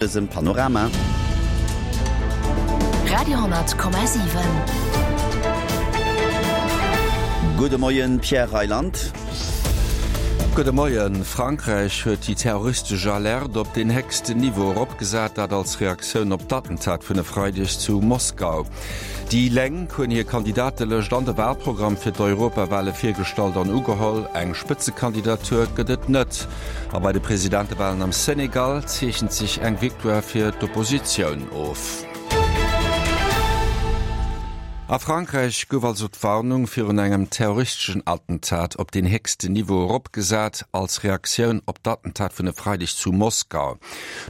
Dësem Panorama. Radio,7. Gudde Moien, Pierre Reyland. Gudde Moien. Frankräich huet déi terroristesch Alerte op deen héchsten Niveau eropgesat, dat als Reaktioun op d'Attentat vun e Freideg zu Moskau. Déi Lénk hunn hir Kandidatelëscht an de Walprogramm fir d'Europawale virgestallt an ugeholl. Eng Spëtzekandidatur gëtt et net. A bei de Presidentewalen am Senegal zeechent sech eng Victoire fir d'Oppositioun of. A Frankräich gouf also d'Warnung virun engem terroristeschen Attentat op deen héchsten Niveau eropgesat, als Reaktioun op d'Attentat vun e Freideg zu Moskau.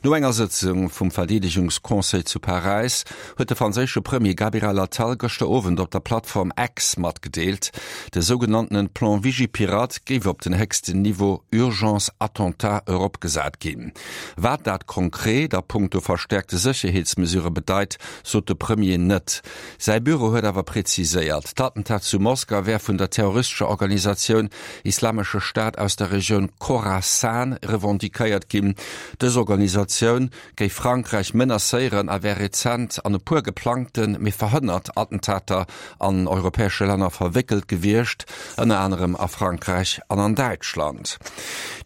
No enger Sëtzung vum Verdeedegungsconseil zu Paräis huet de franséische Premier Gabriel Attal gëschter Owend op der Plattform X matgedeelt, de sougenanntene Plan Vigipirate géif op den héchsten Niveau Urgence Attentat eropgesat ginn. Wat dat konkret a punkto verstäerkte Sécherheetsmesurë bedeit, sot de Premier net. Säi Büro huet awer preziséiert, d'Attentat zu Moskau wär vun der terroristescher Organisatioun Islamesche Staat aus der Regioun Khorasan revendiquéiert ginn. Dës Organisatioun géif Frankräich menacéieren a wär rezent an e puer geplangten, mee verhënnert Attentater an europäesche Länner verwéckelt gewiescht, ënner anerem a Frankräich an an Däitschland.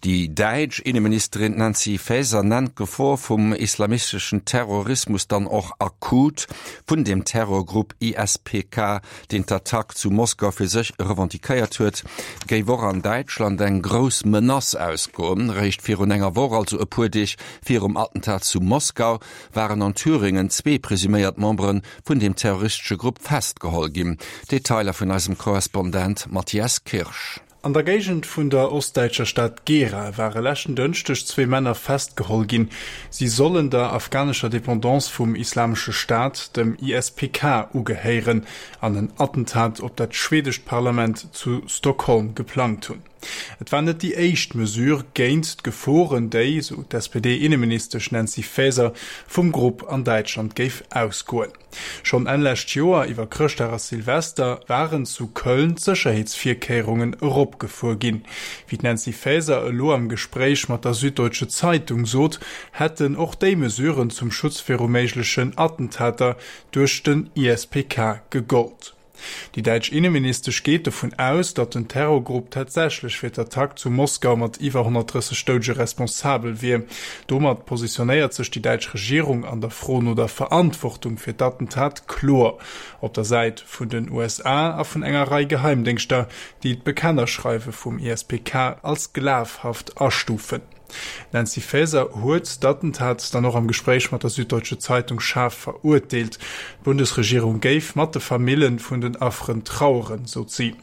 Déi däitsch Inneministerin Nancy Faeser nennt d'Gefor vum islamisteschen Terrorismus dann och akut. Vun dem Terrorgrupp ISPK, deen d'Attack zu Moskau fir sech revendiquéiert huet, géif och an Däitschland eng grouss Menace ausgoen. Réischt virun enger Woch, also e puer Deeg Virum Attentat zu Moskau waren an Thüringen zwee presuméiert Membere vun deem terroristesche Grupp festgeholl ginn. Detailer vun eisem Korrespondent Matthias Kirsch. An der Géigend vun der ostdäitscher Stad Gera ware leschten Dënschdeg zwee Männer festgeholl ginn. Si sollen der afghanescher Dependance vum Islamesche Staat, dem ISPK, ugehéieren an en Attentat op dat schwedescht Parlament zu Stockholm geplangt hunn. Et war net déi éischt Mesure géint d'Geforen, déi, sou d'SPD-Inneministesch Nancy Faeser, vum Grupp an Däitschland géif ausgoen. Schonn Enn lescht Joer, iwwer Chrëschtdag a Silvester, waren zu Köln d'Sécherheetsvirkéierungen eropgefuer ginn. Wéi d'Nancy Faeser elo am Gespréich mat der Süddeutsche Zeitung sot, hätten och déi Mesuren zum Schutz viru méiglechen Attentater duerch den ISPK gegollt. Déi däitsch Inneministesch geet dovun aus, datt den Terrorgrupp tatsächlech fir d'Attack zu Moskau mat iwwer 130 Doudege responsabel wier. Domat positionéiert sech déi däitsch Regierung an der Fro no der Verantwortung fir d'Attentat kloer op der Säit vun den USA a vun enger Rei Geheimdéngschter, déi d'Bekennerschreiwe vum ISPK als glafhaft astufen. D'Nancy Faeser huet d'Attentat dann och am Gespréich mat der Süddeutsche Zeitung schaarf verurteelt. D'Bundesregierung géif mat de Famille vun den Afferen traueren, sot si.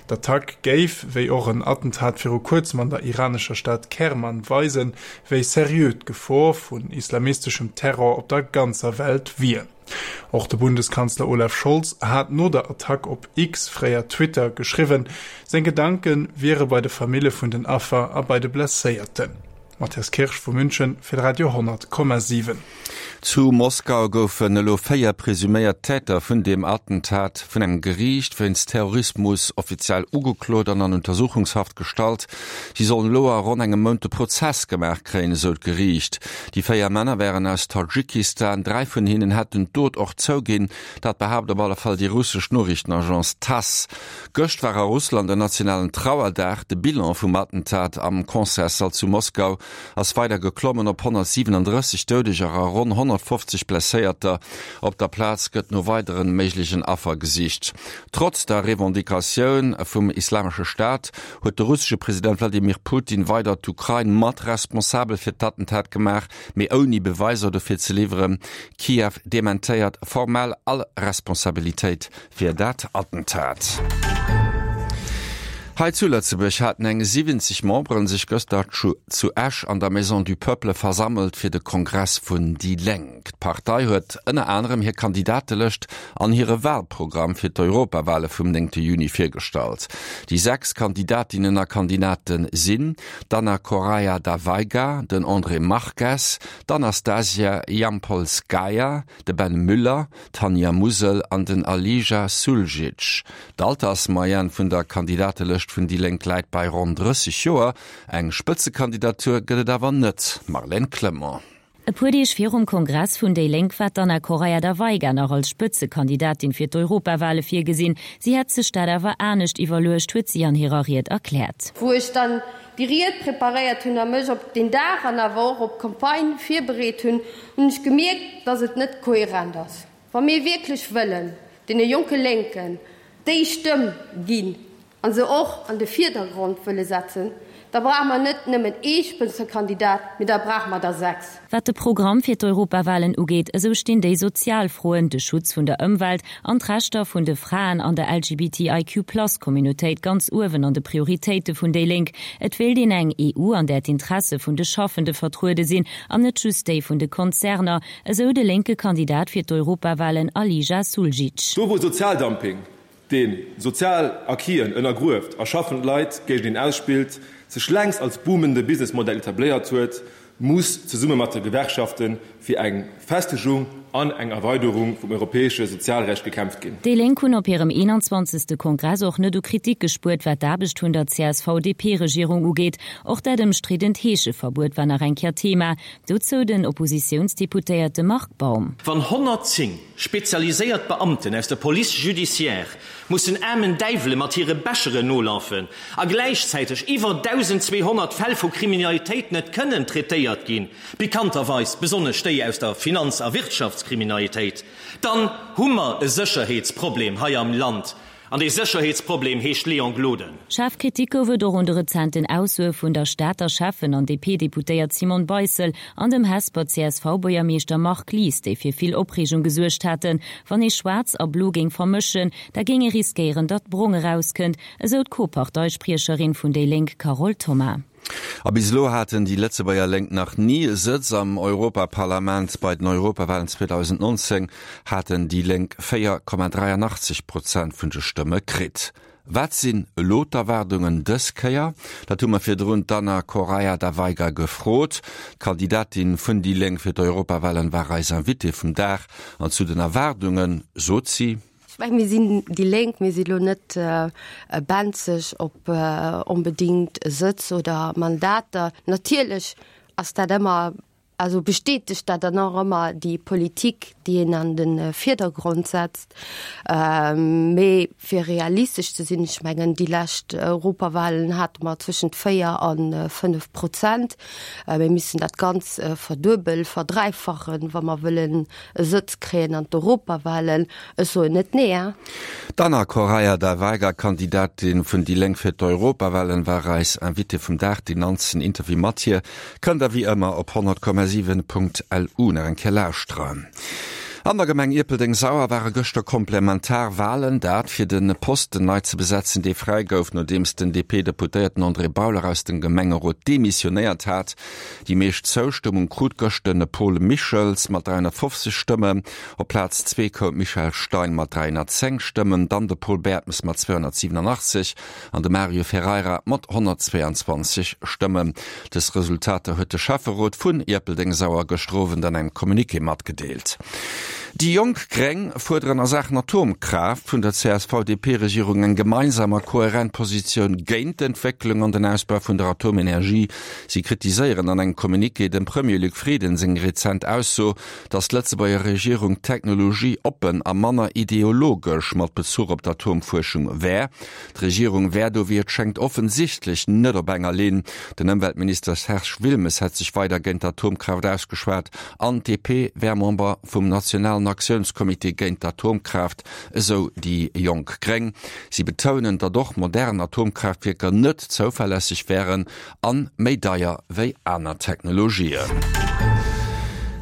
D'Attack géif, wéi och en Attentat viru kuerzem an der iranescher Stad Kerman, weisen, wéi seriö d'Gefor vun islamisteschem Terror op der ganzer Welt wier. Och de Bundeskanzler Olaf Scholz hat no der Attack op X, fréier Twitter, geschriwwen, seng Gedanke wiere bei de Famille vun den Affer a bei de Blesséierten. Matthias Kirsch vu München fir de Radio 10,7. Zu Moskau goufen elo 4 presuméiert Täter vun deem Attentat vun engem Geriicht wéinst Terrorismus offiziell ugeklot an an Untersuchungshaft gestallt. Si sollen elo a ronn engem Mount de Prozess gemaach kréien, esou d'Geriicht. Déi 4 Männer wären aus Tadschikistan, 3 vun hinnen hätten d'Dot och zouginn. Dat behaapt op alle Fall déi russesch Noriichtenagence Tass. Gëscht war a Russland en nationalen Trauerdag. De Bilan vum Attentat am Concertssall zu Moskau ass weider geklommen op 137 Doudeger a ronn 150 Blesséierter. Op der Plaz gëtt no weidere méiglechen Affer gesicht. Trotz der Revendicatioun vum Islamesche Staat huet de russesche President Wladimir Putin weider d'Ukrain mat responsabel fir d'Attentat gemaach, mee ouni Beweiser dofir ze liwweren. Kiew dementéiert formell all Responsabilitéit fir dat Attentat. Hei zu Lëtzebuerg haten eng 70 Memberen sech gëster zu Esch an der Maison du Peuple versammelt fir de Kongress vun déi Lénk. D'Partei huet ënner anerem hir Kandidatelëscht an hire Walprogramm fir d'Europawale vum néngte Juni virgestallt. Déi 6 Kandidatinnen a Kandidate sinn, d'Anna Correia da Veiga, den André Marques, d'Anastasia Yampolskaya, de Ben Müller, d'Tanja Musel an den Alija Suljic. D'Altersmoyenne vun der Kandidatelëscht vun déi Lénk läit bei ronn 30 Joer. Eng Spëtzekandidatur gëtt et awer net, Marlène Clement. E puer Deeg virum Kongress vun déi Lénk war d'Anna Correia da Veiga nach als Spëtzekandidatin fir d'Europawale virgesinn. Si hätt sech dat awer anescht iwwerluecht, huet si an hirer Ried erkläert. Wou ech dann déi Ried preparéiert hunn a mech op deen Dag an awer och op d'Campagne virbereet hunn, hunn ech gemierkt, dass et net kohärent ass. Wa mir wierklech wëllen deene jonke Lénken déi Stëmm ginn a se och an de Virdergrond wëlle setzen, da brauche mer net nëmmen ee Spëtzekandidat, mee da brauche mer der 6. Wat de Programm fir d'Europawalen ugeet, esou stinn déi sozial Froen, de Schutz vun der Ëmwelt an d'Rechter vun de Fraen an der LGBTIQ-Plus-Communautéit ganz uewen an de Prioritéite vun déi Lénk. Et wéilt een eng EU, an där d'Interesse vun de Schaffende vertruede sinn an net just déi vun de Konzerner, esou de lénke Kandidat fir d'Europawalen Alija Suljic. Do wou Sozialdumping, dee sozial Acquisen ënnergrueft a schaffend Leit géint een ausspillt, sech längst als boomende Businessmodell etabléiert huet, muss zesumme mat de Gewerkschafte fir eng Festegung an eng Erweiderung vum europäesche Sozialrecht gekämpft ginn. Déi Lénk hunn op hirem 21. Kongress och net u Kritik gespuert, wat d'Aarbecht vun der CSV-DP-Regierung ugeet. Och dat ëmstriddent Heescheverbuet war nach eng Kéier Thema. Dozou den Oppositiounsdeputéierte Marc Baum. Wann 110 spezialiséiert Beamten aus der Police judiciaire mussen aarmen Däiwele mat hire Becheren nolafen a gläichzäiteg iwwer 1.200 Fäll vu Kriminalitéit net kënnen traitéiert ginn, pikanterweis besonnesch déi aus der Finanz a Wirtschaftskriminalitéit, dann hu mer e Sécherheetsproblem hei am Land. An dee Sécherheetsproblem heescht Léon Gloden. Schaarf Kritik gouf et och un de rezenten Aussoe vun der Stater Schäffen an DP-Deputéiert Simone Beissel an dem Hesper CSV-Buergermeeschter Marc Lies, déi fir vill Opreegung gesuergt haten. Wann ee Schwaarz a Blo géing vermëschen, da géing ee riskéieren, datt Brong erauskënnt, esou d'Co-Parteispriecherin vun déi Lénk Carole Thoma. A bis elo haten déi Lëtzebuerger Lénk nach ni e Sëtz am Europaparlament. Bei den Europawalen 2019 haten déi Lénk 4,83 Prozent vun de Stëmme kritt. Wat sinn elo d'Erwaardungen dës Kéier? Dat hu mer virdrun d'Anna Correia da Veiga gefrot. D'Kandidatin vun déi Lénk fir d'Europawalen war eis Invitée vum Dag. An zu den Erwaardunge sot si. Ech mengen, mir sinn déi Lénk, mir si lo net benzeg op onbedéngt e Sëtz oder Mandater. Natierlech ass dat ëmmer, also bestätegt dat dann och ëmmer déi Politik, déi een an de Virdergrond setzt. Mee fir realistesch ze sinn, ech mengen, déi lescht Europawahlen hate mer zwëschent 4 a 5 Prozent. Mir missten dat Ganz verduebel, verdräifachen, wa mer wëllen e Sëtz kréien an d'Europawahlen. Ech soen net nee, hein. D'Anna Correia da Veiga, Kandidatin vun déi Lénk fir d'Europawahlen, war eis Invitée vum Dag. Deen ganzen Interview mat hir kënnt der wéi ëmmer op 100,7.lu nach eng Kéier lauschteren. An der Gemeng Ierpeldeng-Sauer ware gëschter komplementar Wahlen, dat fir de Posten nei ze besetzen, dee fräi gouf, nodeems den DP-Deputéierten André Bauler aus dem Gemengerot demissionéiert hat. Déi meescht Zoustëmmung krut gëscht de Paul Michels mat 350 Stëmmen. Op Plaz zwee koum d'Michèle Stein mat 310 Stëmmen, dann de Paul Bertmes mat 287 an de Mario Ferreira mat 122 Stëmmen. Dës Resultater huet de Schäfferot vun Ierpeldeng-Sauer gëschter Owend an engem Communiqué matgedeelt. Déi jonk Gréng fuerderen a Saachen Atomkraaft vun der CSV-DP-Regierung eng gemeinsam a kohärent Positioun géint d'Entwécklung an den Ausbau vun der Atomenergie. Si kritiséieren an engem Communiqué dem Premier Luc Frieden seng rezent Ausso, datt d'Lëtzebuerger Regierung technologieoppen a manner ideologesch mat Bezuch op d'Atomfuerschung wär. D'Regierung wär do, wéi et schéngt, offensichtlech net op enger Linn. Den Ëmweltminister Serge Wilmes hätt sech weider géint d'Atomkraaft ausgeschwat an d'DP wär Member vum nationalen Aktiounscomité géint d'Atomkraaft, esou déi jonk Gréng. Si betounen, datt och modern Atomkraaftwierker net zouverlässeg wären An méi deier wéi aner Technologien.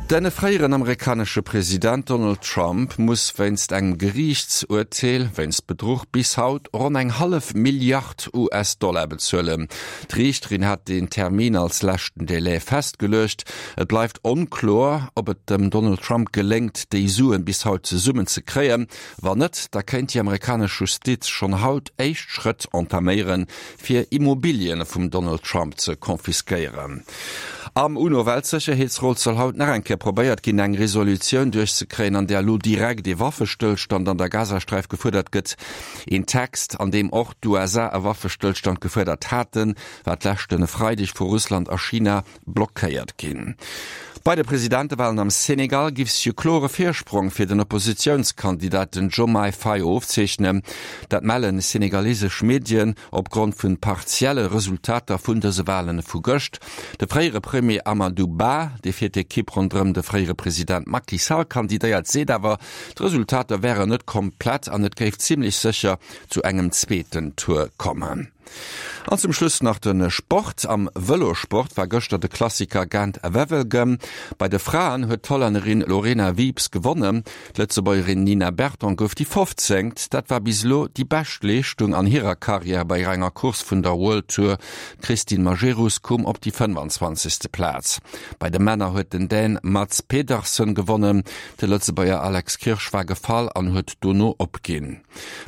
Den fréieren amerikanesche President Donald Trump muss wéinst engem Geriichtsurteel wéinst Bedruch bis haut ronn eng hallef Milliard US-Dollar bezuelen. D'Riichterin hat deen Termin als leschten Delai festgeluecht. Et bleift onkloer, ob et dem Donald Trump geléngt, déi Suen bis haut zesummen ze kréien. Wann net, da kéint déi amerikanesch Justiz schonn haut éischt Schrëtt entaméieren, fir Immobilien vum Donald Trump ze confisquéieren. Am UNO-Weltsécherheetsrot soll haut nach eng Kéier. probéiert ginn, eng Resolutioun duerchzekréien, an där elo direkt ee Waffestëllstand an der Gazasträif gefuerdert gëtt. Een Text, an deem och d'USA e Waffestëllstand gefuerdert haten, war d'leschte Freideg vu Russland a China blockéiert ginn. Bei de Presidentewalen am Senegal giff sech e klore Virsprong fir den Oppositiounskandidat den Diomaye Faye ofzeechnen. Dat mellen senegalesesch Medien opgrond vun partielle Resultater vun dëse Walen vu gëscht. De fréiere Premier Amadou Ba, dee fir d'Ekipp ronderëm de fréiere President Macky Sall kandidéiert, seet awer, d'Resultater wären net komplett an et géif zimmlech sécher zu engem zweeten Tour kommen. An zum Schluss nach de Sport. Am Vëlosport war gëschter de Klassiker Gent-Wevelgem. Bei de Fraen huet d'Hollännerin Lorena Wiebes gewonnen. D'Lëtzebuergerin Nina Berton gouf déi 15. Dat war bis elo déi bescht Leeschtung an hirer Karriär bei enger Course vun der World Tour. D'Christine Majerus koum op déi 25. Plaz. Bei de Männer huet den Dän Mads Pedersen gewonnen. De Lëtzebuerger Alex Kirsch war gefall an huet dono opginn.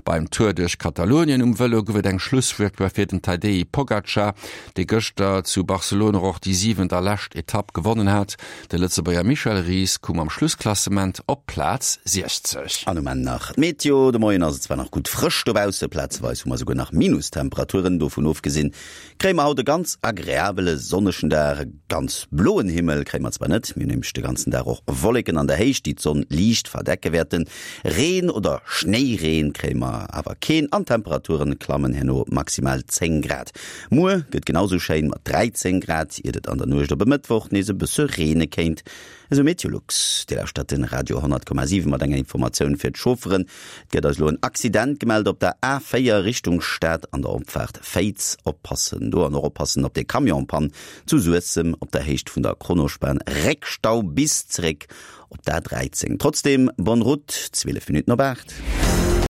Beim Tour duerch Katalonien um Vëlo gouf et eng Schlussvictoire fir den Tadej Pogacar, dee gëschter zu Barcelona och déi siwent a lescht Etapp gewonnen hat. De Lëtzebuerger Michel Ries koum am Schlussklassement op Plaz 60. An um Enn nach d'Meteo, De Moien ass et zwar nach gutt frësch dobausse, plazeweis hu mer esouguer nach Minustemperaturen. Dovun ofgesinn Kréie mer haut e ganz agreabele sonnegen Dag. E ganz bloen Himmel kréie mer zwar net, mir hunn nämlech de ganzen Dag och Wolleken an der Héicht, déi d'Sonn liicht verdecke wäerten. Reen oder Schnéireen kréie mer awer keen an d'Temperature klammen herno op maximal 10 Grad. Muer gëtt genau sou schéin mat 13 Grad, iert et an der Nuecht op e Mëttwoch nees e bësse reene kéint. Esou Meteolux. Dir lauschtert den Radio 100,7 mat enger Informatioun fir d'Chaufferen. Et gëtt eis elo en Accident gemellt op der A4 Richtung Stad an der Opfaart Féiz. Oppassen do an och oppassen op de Camion-Pann zu Suessem op der Héicht vun der Kronospan. Réckstau bis zeréck op d'A13. Trotzdem bonne route, 12 Minutten op 8.